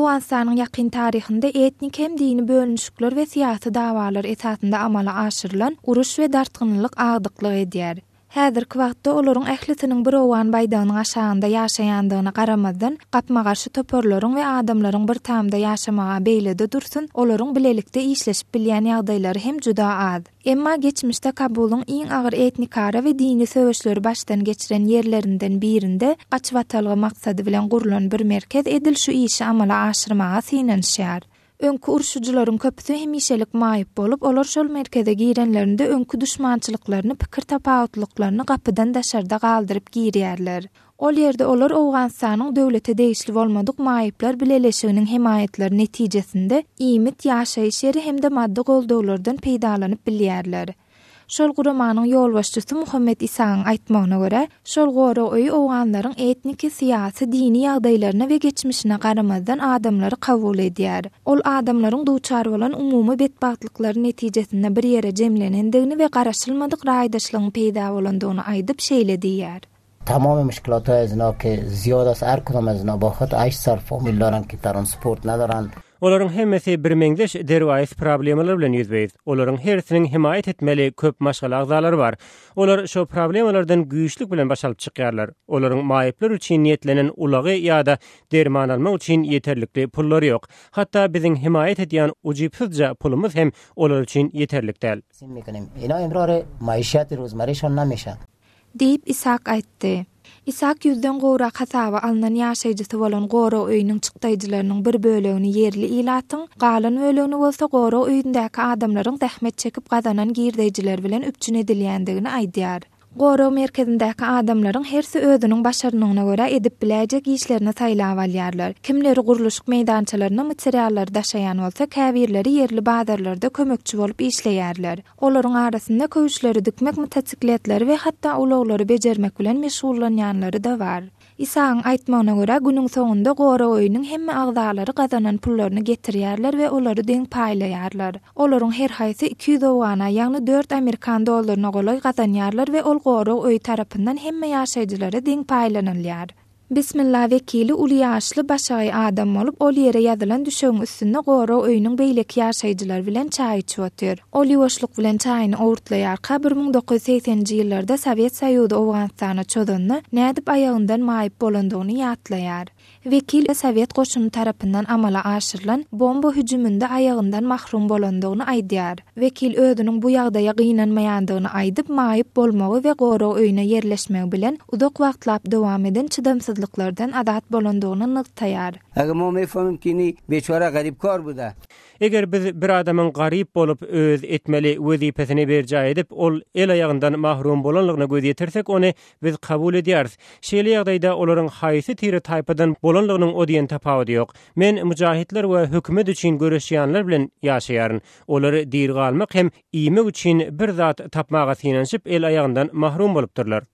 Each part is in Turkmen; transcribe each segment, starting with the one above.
Owganystanyň ýakyn taryhynda etnik hem dini bölünişikler we syýasy dawalar esasynda amala aşyrylan uruş we dartgynlylyk agdyklyk edýär. Häzirki wagtda olaryň ählisiniň bir owgan baýdagynyň aşagynda ýaşaýandygyna garamazdan, gapma-garşy toparlaryň we adamlaryň bir tamda ýaşamaga beýle-de dursun, olaryň bilelikde işleşip bilýän ýagdaýlary hem juda az. Emma geçmişde Kabulyň iň agyr etnikara we dini söweşleri başdan geçiren ýerlerinden birinde gaçybatalga maksady bilen gurlan bir merkez edil şu işi amala aşyrmaga synanyşýar. Öňki urşujylaryň köpüsi hemişelik maýyp bolup, olar şol merkeze girenlerinde öňki duşmançylyklaryny, pikir tapawutlyklaryny gapydan daşarda galdyryp girýärler. Ol ýerde olar Owganystanyň döwlete degişli bolmadyk maýyplar bileleşiginiň hemaýatlary netijesinde iýmit, ýaşaýyş ýeri hem-de maddy goldawlardan peýdalanyp bilýärler. Şol guramanyň ýolbaşçysy Muhammet Isagyň aýtmagyna görä, şol gorag öýi owganlaryň etniki, syýasy, dini ýagdaýlaryna we geçmişine garamazdan adamlary kabul edýär. Ol adamlaryň duçar bolan umumy betbagtlyklary netijesinde bir ýere jemlenendigini we garaşylmadyk raýdaşlygyň peýda bolandygyny aýdyp şeýle diýýär. تمام مشکلات های از اینا که زیاد است هر کدام از اینا با خود 8 سال فامیل دارن که ترانسپورت ندارن Olaryň hemmesi birmeňzeş derwaýys problemalar bilen ýüzbe-ýüz. Olaryň hersiniň hemaýat etmeli köp maşgala agzalary bar. Olar şo problemalardan güýçlük bilen baş alyp çykýarlar. Olaryň maýyplar üçin niýetlenen ulagy ýa-da derman almak üçin ýeterlikli pullary ýok. Hatda biziň hemaýat edýän ujypsyzja pulumyz hem olar üçin ýeterlik däl. Diýip, Isak aýtdy. Isak ýüzden gowrak hasaba alnan ýaşaýjysy bolan gorag öýüniň çykdaýjylarynyň bir bölegini ýerli ilatyň, galan bölegini bolsa gorag öýündäki adamlaryň zähmet çekip gazanan girdeýjileri bilen üpjün edilýändigini aýdýar. Gorag merkezindäki adamlaryň hersi özüniň başarnygyna görä edip biläýjek işlerini saýlap alýarlar. Kimleri gurluşyk meýdançalaryna materiallary daşaýan bolsa, käbirleri ýerli bazarlarda kömekçi bolup işleýärler. Olaryň arasynda köwüşleri dikmek, motosikletleri we hatda ulaglary bejermek bilen meşgullanýanlary-da bar. Isagyň aýtmagyna görä, günüň soňunda gorag öýüniň hemme agzalary gazanan pullaryny getirýärler we olary deň paýlaýarlar. Olaryň her haýsy 200 owgana, ýagny dört amerikan dollaryna golaý gazanýarlar we ol gorag öýi tarapyndan hemme ýaşaýjylara deň paýlanylýar. Bismilla wekili uly ýaşly, başagaý adam bolup, ol ýere ýazylan düşegiň üstünde gorag öýüniň beýleki ýaşaýjylary bilen çaý içip otyr. Ol ýuwaşlyk bilen çaýyny owurtlaýarka, 1980-nji ýyllarda Sowet Soýuzy Owganystana çozanda, nädip aýagyndan maýyp bolandygyny ýatlaýar. Wekil sowet goşuny tarapyndan amala aşyrylan bomba hüjüminde aýagyndan mahrum bolandygyny aýdýar. Wekil özüniň bu ýagdaýa gynanmaýandygyny aýdyp, maýyp bolmagy we gorag öýüne ýerleşmegi bilen uzak wagtlap dowam eden çydamsyzlyklardan azat bolandygyny nygtaýar. Eger biz bir adamyň garyp bolup, öz etmeli wezipesini berjaý edip, ol el-aýagyndan mahrum bolanlygyna göz ýetirsek, ony Biz kabul edýäris. Şeýle ýagdaýda olaryň haýsy tire-taýpadan bolanlygynyň o diýen tapawudy ýok. Men mujahidler we hökümet üçin göreşýänler bilen ýaşaýaryn. Olar diri galmak hem iýmek üçin bir zat tapmaga synanyşyp el-aýagyndan mahrum bolupdyrlar.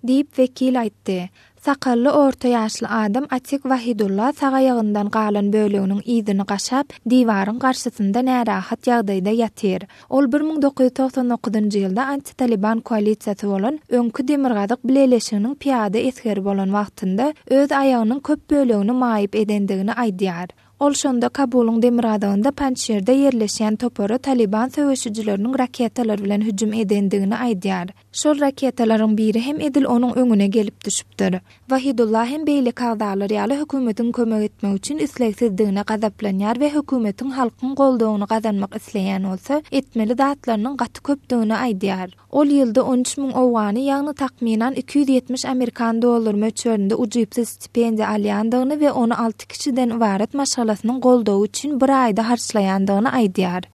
Diýip, wekil aýtdy. Sakally orta ýaşly adam Atik Wahidulla sag aýagyndan galan böleginiň yzyny gaşap, diwaryň garşysynda närahat ýagdaýda ýatyr. Ol 1999-njy ýylda anti-Taliban koalisiýasy bolan öňki Demirgazyk bileleşiginiň pyýada esgeri bolan wagtynda öz aýagynyň köp bölegini maýyp edendigini aýdýar. Ol şonda Kabulyň demirgazygynda Panjşirde ýerleşýän topara Talyban söweşijileriniň raketalar bilen hüjüm edendigini aýdýar. Şol raketalaryň biri hem edil onuň öňüne gelip düşüpdir. Wahidullah hem beýleki agzalar ýaly hökümetiň kömek etmek üçin islegsizdigine gazaplanýar we hökümetiň halkyň goldawyny gazanmak isleýän bolsa, etmeli zatlarynyň gaty köpdügini aýdýar. Ol ýylda 13 müň owgany, ýagny takmynan 270 amerikan dollary möçberinde ujypsyz stipendiýa alýandygyny we ony alty kişiden ybarat maşgalasynyň goldawy üçin bir aýda harçlaýandygyny aýdýar.